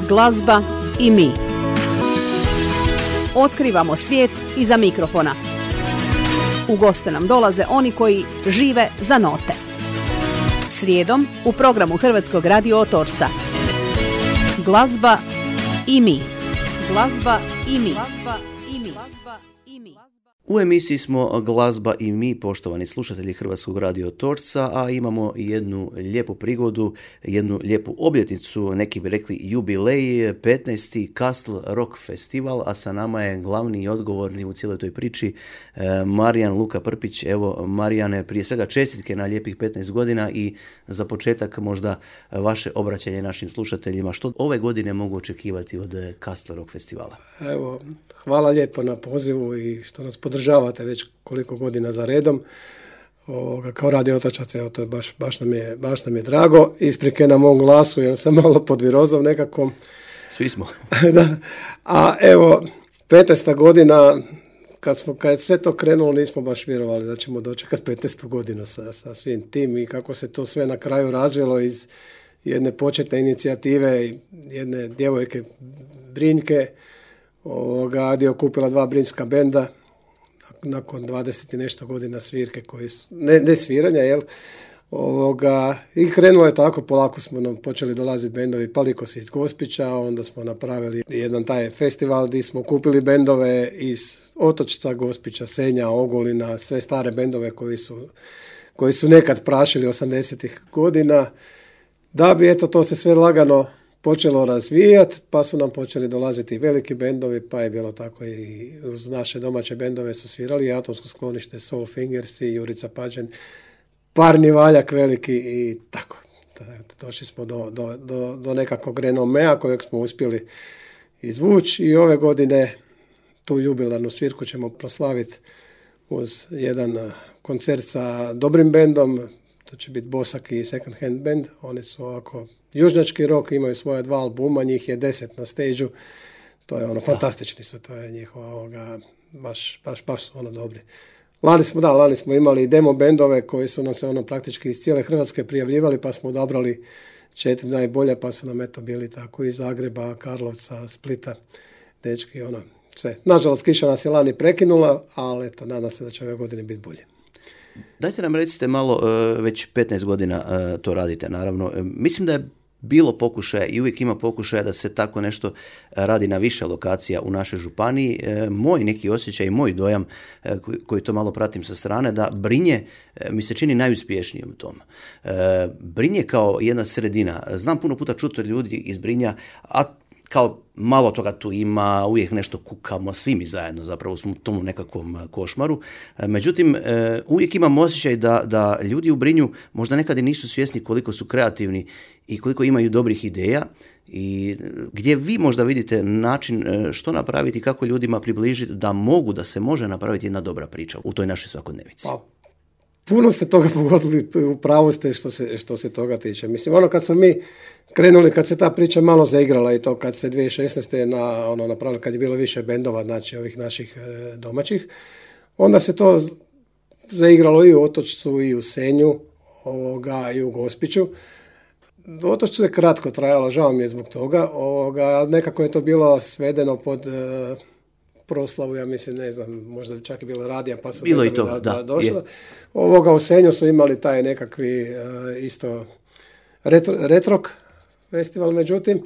glazba i mi. Otkrivamo svijet iza mikrofona. U goste nam dolaze oni koji žive za note. Srijedom u programu Hrvatskog radio Otočca. Glazba i mi. Glazba i mi. Glazba i mi. Glazba i mi. U emisiji smo Glazba i mi, poštovani slušatelji Hrvatskog radio Otočca, a imamo jednu lijepu prigodu, jednu lijepu obljetnicu, neki bi rekli jubilej, 15. Castle Rock Festival, a sa nama je glavni i odgovorni u cijeloj toj priči Marijan Luka Prpić. Evo, Marijane, prije svega čestitke na lijepih 15 godina i za početak možda vaše obraćanje našim slušateljima. Što ove godine mogu očekivati od Castle Rock Festivala? Evo, hvala lijepo na pozivu i što nas podržavate već koliko godina za redom. Kao radio Otočac, evo, to je baš nam je drago. Isprike na mom glasu, jer sam malo podvirozov nekako. Svi smo. Da. A evo, 15. godina, kad je sve to krenulo, nismo baš vjerovali da ćemo dočekati 15. godinu sa svim tim i kako se to sve na kraju razvilo iz jedne početne inicijative, jedne djevojke Brinjke, gdje je okupila 2 brinjska benda nakon 20 i nešto godina svirke koji su, ne sviranja, jel? I krenulo je tako, polako smo nam počeli dolaziti bendovi Palikos iz Gospića, onda smo napravili jedan taj festival gdje smo kupili bendove iz Otočca, Gospića, Senja, Ogulina, sve stare bendove koji su nekad prašili 80-ih godina, da bi to se sve lagano počelo razvijati, pa su nam počeli dolaziti veliki bendovi, pa je bilo tako i uz naše domaće bendove su svirali Atomsko sklonište, Soul Fingers i Jurica Pađen, Parni valjak veliki i tako. Došli smo do nekakvog renomea kojeg smo uspjeli izvući i ove godine tu jubilarnu svirku ćemo proslaviti uz jedan koncert sa dobrim bendom. To će biti Bosak i Second Hand Band. Oni su ovako južnjački rock, imaju svoje 2 albuma, njih je 10 na stage-u. To je fantastični su, to je njihova baš su dobri. Lani smo imali demo bendove koji su nam se praktički iz cijele Hrvatske prijavljivali, pa smo odabrali 4 najbolje, pa su nam bili tako iz Zagreba, Karlovca, Splita, dečki, sve. Nažalost, kiša nas je lani prekinula, ali nadam se da će ove godine biti bolje. Dajte nam recite malo, već 15 godina to radite, naravno. Mislim da je bilo pokušaja i uvijek ima pokušaja da se tako nešto radi na više lokacija u našoj županiji. Moj neki osjećaj i moj dojam, koji to malo pratim sa strane, da Brinje mi se čini najuspješnijim u tom. Brinje kao jedna sredina. Znam puno puta čuti od ljudi iz Brinja, a kao malo toga tu ima, uvijek nešto kukamo, svi mi zajedno zapravo smo u tom nekakvom košmaru. Međutim, uvijek imam osjećaj da ljudi u Brinju možda nekad i nisu svjesni koliko su kreativni i koliko imaju dobrih ideja i gdje vi možda vidite način što napraviti, kako ljudima približiti da se može napraviti jedna dobra priča u toj našoj svakodnevici. Pa, puno ste toga pogodili, u pravu ste što se toga tiče. Mislim, kad smo mi krenuli, kad se ta priča malo zaigrala i to kad se 2016. napravili, kad je bilo više bendova, znači ovih naših domaćih, onda se to zaigralo i u Otočcu i u Senju i u Gospiću. U Otočcu je kratko trajalo, žao mi je zbog toga, nekako je to bilo svedeno pod proslavu, ja mislim, ne znam, možda čak je bilo radija, pa su bilo i to, došla. U Senju su imali taj nekakvi isto retrok festival, međutim,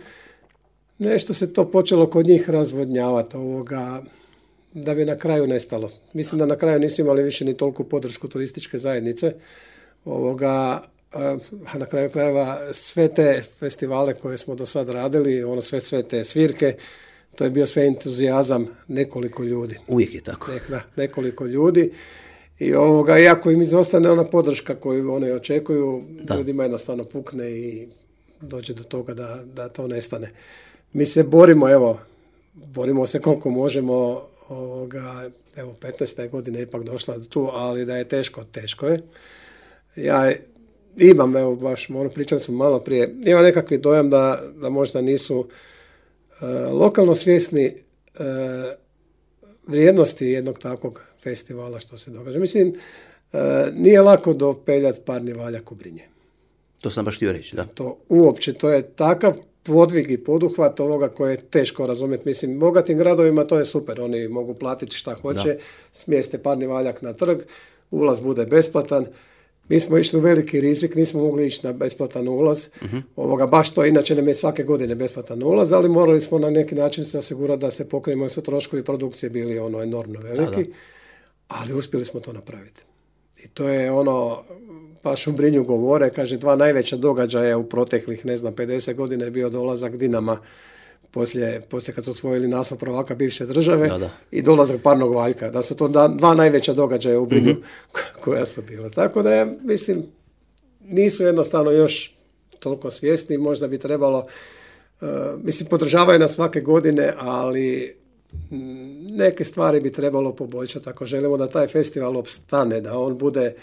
nešto se to počelo kod njih razvodnjavati, da bi na kraju nestalo. Mislim da na kraju nisu imali više ni toliku podršku turističke zajednice, a na kraju krajeva sve te festivale koje smo do sad radili, sve te svirke, to je bio sve entuzijazam nekoliko ljudi. Uvijek je tako. Nekoliko ljudi. I iako im izostane ona podrška koju oni očekuju, ljudima jednostavno pukne i dođe do toga da to nestane. Mi se borimo se koliko možemo, 15. godine ipak došla do tu, ali da je teško je. Ja imam, baš pričali smo malo prije, imam nekakvi dojam da možda nisu lokalno svjesni vrijednosti jednog takvog festivala što se događa. Mislim, nije lako dopeljati Parni valjak u Brinje. To sam baš htio reći, da. To uopće, to je takav podvig i poduhvat ovoga koje je teško razumjeti. Mislim, bogatim gradovima to je super, oni mogu platiti šta hoće, smjeste parni valjak na trg, ulaz bude besplatan. Mi smo išli u veliki rizik, nismo mogli ići na besplatan ulaz. Baš to, inače nam je svake godine besplatan ulaz, ali morali smo na neki način se osigurati da se pokrijemo, jer su troškovi produkcije bili enormno veliki, ali uspjeli smo to napraviti. I to je baš u Brinju govore, kaže, 2 najveća događaja u proteklih, 50 godina je bio dolazak Dinama poslije kad su osvojili naslov prvaka bivše države i dolazak parnog valjka. Da su to 2 najveća događaja u Brinju koja su bila. Tako da ja mislim, nisu jednostavno još toliko svjesni, možda bi trebalo, podržavaju nas svake godine, ali neke stvari bi trebalo poboljšati. Ako želimo da taj festival opstane, da on bude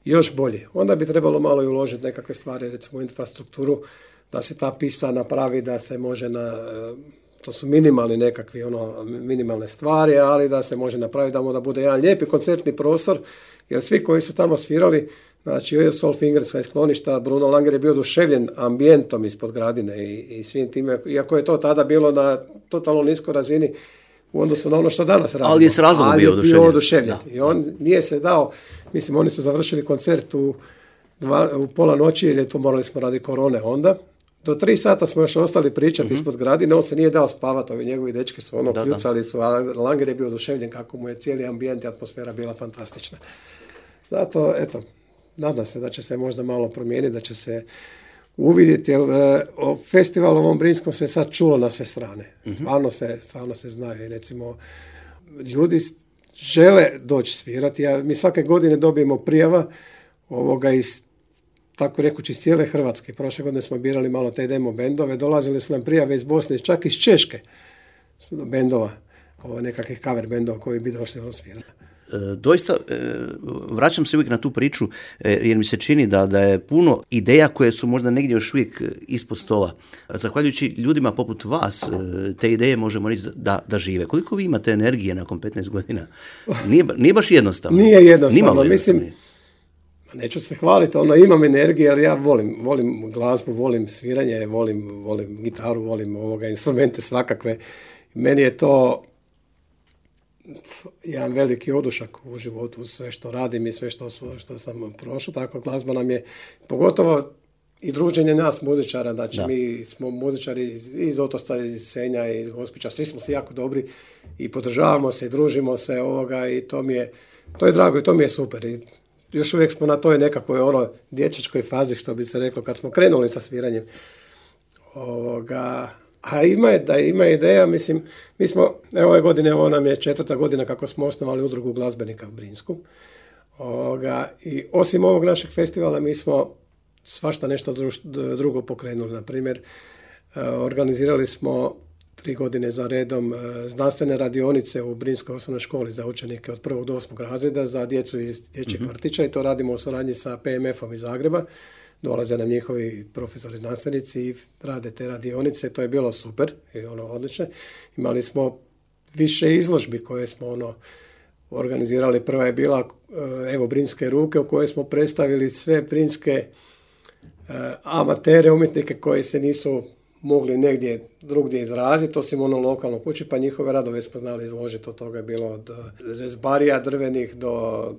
još bolji, onda bi trebalo malo i uložiti nekakve stvari, recimo infrastrukturu, da se ta pista napravi, da se može to su minimalni nekakvi minimalne stvari, ali da se može napraviti da bude jedan lijepi koncertni prostor, jer svi koji su tamo svirali, znači Soul Fingerska iz skloništa, Bruno Langer je bio oduševljen ambijentom ispod Gradine i svim time, iako je to tada bilo na totalno niskoj razini u odnosu na ono što danas radimo. Ali je s razlogom bio oduševljen. I on nije se dao, oni su završili koncert u pola noći, jer je to morali smo radi korone onda. Do 3 sata smo još ostali pričati ispod Gradine, on se nije dao spavati, ovi njegovi dečki su kljucali su, a Langer je bio oduševljen kako mu je cijeli ambijent i atmosfera bila fantastična. Zato, nadam se da će se možda malo promijeniti, da će se uvidjeti, jer o festivalu ovom Brinskom se sad čulo na sve strane. Stvarno se zna. I recimo, ljudi žele doći svirati. Mi svake godine dobijemo prijava iz, tako rekući, iz cijele Hrvatske. Prošle godine smo birali malo te demo bendove. Dolazili su nam prijave iz Bosne, čak iz Češke bendova, nekakvih cover bendova koji bi došli svirati. Doista, vraćam se uvijek na tu priču, jer mi se čini da je puno ideja koje su možda negdje još uvijek ispod stola. Zahvaljujući ljudima poput vas, te ideje možemo reći da žive. Koliko vi imate energije nakon 15 godina? Nije baš jednostavno. Nije jednostavno. Mislim, neću se hvaliti, imam energije, ali ja volim glazbu, volim sviranje, volim gitaru, volim instrumente svakakve. Meni je to jedan veliki odušak u životu, sve što radim i sve što sam prošao, tako glazba nam je, pogotovo i druženje nas muzičara, znači mi smo muzičari iz Otočca, iz Senja, iz Gospića, svi smo si jako dobri i podržavamo se i družimo se i to je drago i to mi je super. I još uvijek smo na toj nekakvoj dječačkoj fazi, što bi se reklo, kad smo krenuli sa sviranjem. A ima ideja, mislim, mi smo, ove godine, ovo nam je 4. godina kako smo osnovali udrugu glazbenika u Brinsku. I osim ovog našeg festivala, mi smo svašta nešto drugo pokrenuli. Na primjer, organizirali smo 3 godine za redom znanstvene radionice u Brinskoj osnovnoj školi za učenike od 1. do 8. razreda za djecu iz dječjeg vrtića i to radimo u suradnji sa PMF-om iz Zagreba. Dolaze nam njihovi profesori znanstvenici i rade te radionice, to je bilo super i odlično. Imali smo više izložbi koje smo organizirali. Prva je bila Brinske ruke, u kojoj smo predstavili sve brinske amatere, umjetnike koji se nisu mogli negdje drugdje izraziti, osim lokalno kući, pa njihove radove smo znali izložiti. Od toga je bilo od rezbarija drvenih do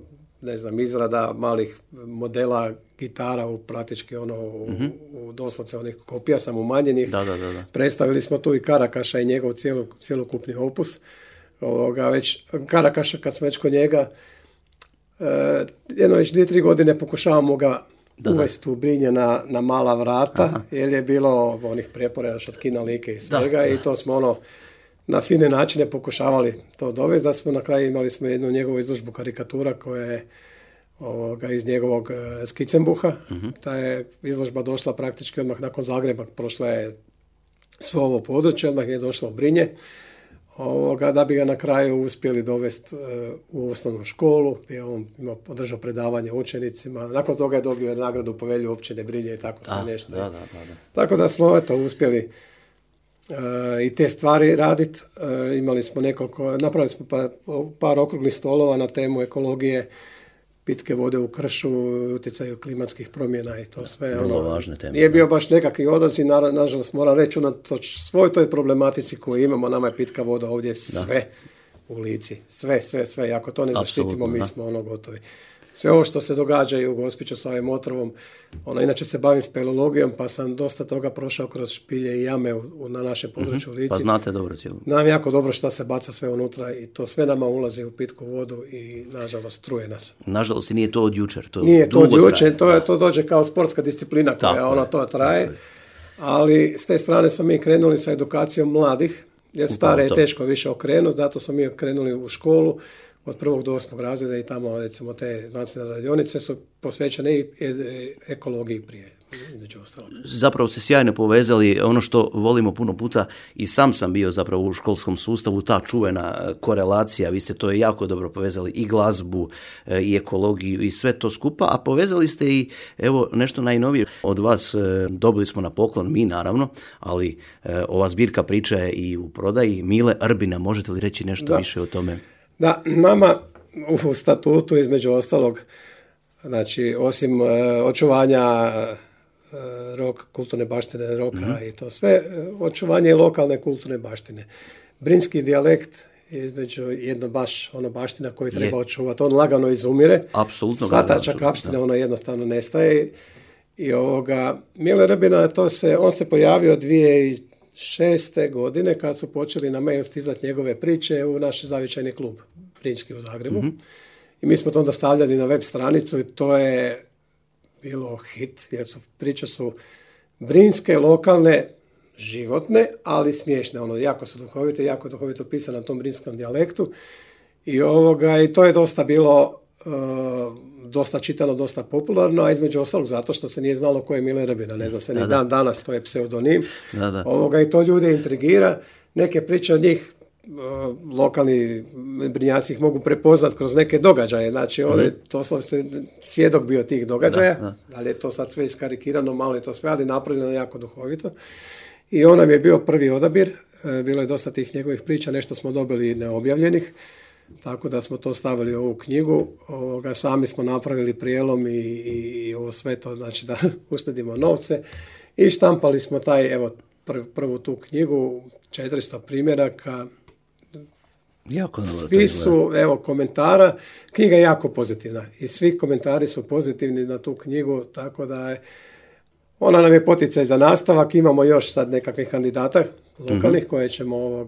izrada malih modela gitara u praktički u doslovce onih kopija sam umanjenih. Da. Predstavili smo tu i Karakaša i njegov cjelokupni opus. Već Karakaša, kad smo već kod njega, već 2-3 godine pokušavamo ga uvesti u Brinje na mala vrata, jer je bilo onih prijepora još od kina Like i svega i to smo na fine načine pokušavali to dovesti, da smo na kraju imali smo jednu njegovu izložbu karikatura koja je iz njegovog Skicembuha. Ta je izložba došla praktički odmah nakon Zagreba, prošla je svo ovo područje, odmah je došla u Brinje, da bi ga na kraju uspjeli dovesti u osnovnu školu, gdje je on održao predavanje učenicima. Nakon toga je dobio nagradu povelju općine Brinje i tako sve nešto. Tako da smo uspjeli i te stvari raditi. Imali smo napravili smo par okruglih stolova na temu ekologije, pitke vode u kršu, utjecaju klimatskih promjena i to sve. Vrlo važne teme. Nije bio baš nekakvi odaziv, nažalost moram reći, unatoč svoj toj problematici koju imamo, nama je pitka voda ovdje sve u Lici. Sve. I ako to ne zaštitimo, mi smo gotovi. Sve ovo što se događa i u Gospiću sa ovim otrovom, inače se bavim speleologijom, pa sam dosta toga prošao kroz špilje i jame na našem području Lici. Pa znate dobro cijelo. Znam jako dobro šta se baca sve unutra i to sve nama ulazi u pitku vodu i nažalost truje nas. Nažalost nije to od jučer. Nije to od jučer, to dođe kao sportska disciplina koja to traje. Ali s te strane smo mi krenuli sa edukacijom mladih, jer stare je teško više okrenuti, zato smo mi krenuli u školu od 1. do 8. razreda i tamo, recimo, te nacionalne radionice su posvećene i ekologiji prije, između ostalog. Zapravo se sjajno povezali, ono što volimo puno puta, i sam bio zapravo u školskom sustavu, ta čuvena korelacija, vi ste to jako dobro povezali, i glazbu, i ekologiju, i sve to skupa, a povezali ste i, evo, nešto najnovije od vas, dobili smo na poklon, mi naravno, ali ova zbirka priča je i u prodaji, Mile Rbina, možete li reći nešto više o tome? Da, nama u statutu između ostalog, znači osim očuvanja kulturne baštine roka i to sve, očuvanje lokalne kulturne baštine. Brinski dijalekt je između jedno baš baština koju treba očuvati. On lagano izumire. Apsolutno. Svata čakavština, ona jednostavno nestaje. I Mile Rbina, on se pojavio 2006. godine kad su počeli na mail stizati njegove priče u naš zavičajni klub Brinski u Zagrebu. I mi smo to onda stavljali na web stranicu i to je bilo hit, jer priče su brinske, lokalne, životne, ali smiješne. Jako su duhovite, jako duhovito pisane na tom brinskom dijalektu. I to je dosta bilo dosta čitano, dosta popularno, a između ostalog zato što se nije znalo ko je Mile Rbina. Ne zna se ni dan danas, to je pseudonim. I to ljude intrigira. Neke priče od njih lokalni Brinjaci ih mogu prepoznat kroz neke događaje. Znači, svjedok bio tih događaja, ali je to sad sve iskarikirano, malo je to sve, ali napravljeno jako duhovito. I on nam je bio prvi odabir, bilo je dosta tih njegovih priča, nešto smo dobili neobjavljenih, tako da smo to stavili u ovu knjigu. Sami smo napravili prijelom i ovo sve to, znači da uštedimo novce. I štampali smo prvu tu knjigu, 400 primjeraka. Svi su, komentara. Knjiga je jako pozitivna i svi komentari su pozitivni na tu knjigu, tako da ona nam je poticaj za nastavak. Imamo još sad nekakvih kandidata lokalnih koje ćemo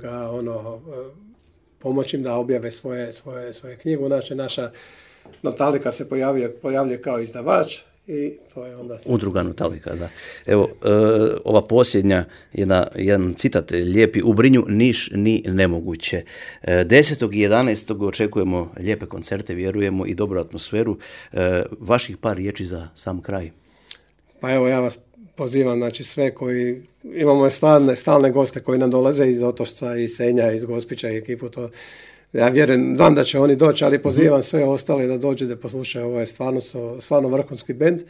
pomoći im da objave svoje knjigu. Naša Natalika se pojavljuje kao izdavač. I to je onda Udruga Natalika, da. Evo, ova posljednja, jedan citat lijepi, u Brinju niš ni nemoguće. 10. i 11. očekujemo lijepe koncerte, vjerujemo, i dobru atmosferu. Vaših par riječi za sam kraj. Pa evo, ja vas pozivam, znači sve koji, imamo stalne goste koji nam dolaze iz Otočca, iz Senja, iz Gospića i ekipu, to ja vjerujem, da će oni doći, ali pozivam sve ostale da dođe da poslušaju. Ovo je stvarno vrhunski bend,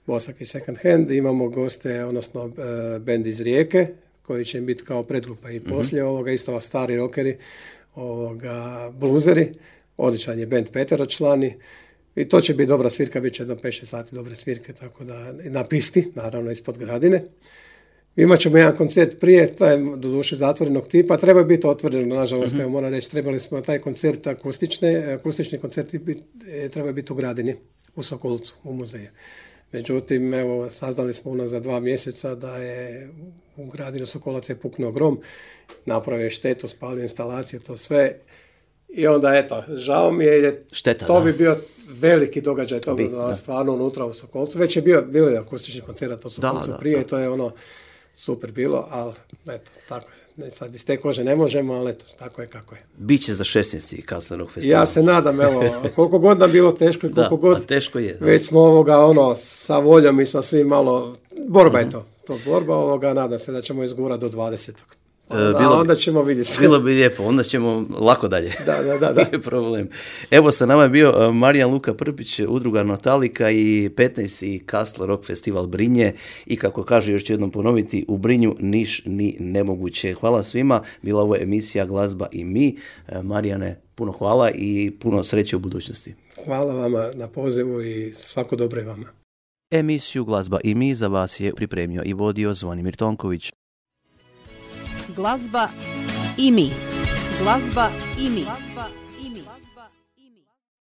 Bosak i Second Hand. Imamo goste, odnosno bend iz Rijeke, koji će im biti kao predgrupa i poslije ovoga, isto stari rockeri, bluzeri, odličan je bend peteročlani. I to će biti dobra svirka, bit će jedno 5-6 sati dobre svirke, tako da na pisti, naravno ispod Gradine. Imat ćemo jedan koncert prije, taj doduše zatvorenog tipa, treba biti otvoreno, nažalost, moram reći, trebali smo taj koncert akustični koncerti treba biti u Gradini, u Sokolcu, u muzeju. Međutim, evo, saznali smo unazad 2 mjeseca da je u Gradini Sokolac je puknuo grom, napravio štetu, spalio instalacije, to sve. I onda, eto, žao mi je, jer to bi bio veliki događaj, to bi stvarno unutra u Sokolcu. Već je bilo akustični koncert u Sokolcu prije, i to je super bilo, ali eto, tako, sad iz te kože ne možemo, ali eto, tako je kako je. Biće za 16. Kaslerog festivala. Ja se nadam, evo, koliko god nam bilo teško i koliko god teško je, već smo sa voljom i sa svim malo, borba je to borba, nadam se da ćemo izgurati do 20. Onda ćemo vidjeti. Bilo bi lijepo, onda ćemo lako dalje. Da. Nije problem. Evo, sa nama je bio Marijan Luka Prpić, udruga Notalika i 15. Kassel Rock Festival Brinje i kako kaže, još ću jednom ponoviti, u Brinju niš ni nemoguće. Hvala svima, bila ovo emisija Glazba i mi. Marijane, puno hvala i puno sreće u budućnosti. Hvala vama na pozivu i svako dobro je vama. Emisiju Glazba i mi za vas je pripremio i vodio Zvonimir Tonković. Glazba i mi. Glazba i mi. Glazba i mi.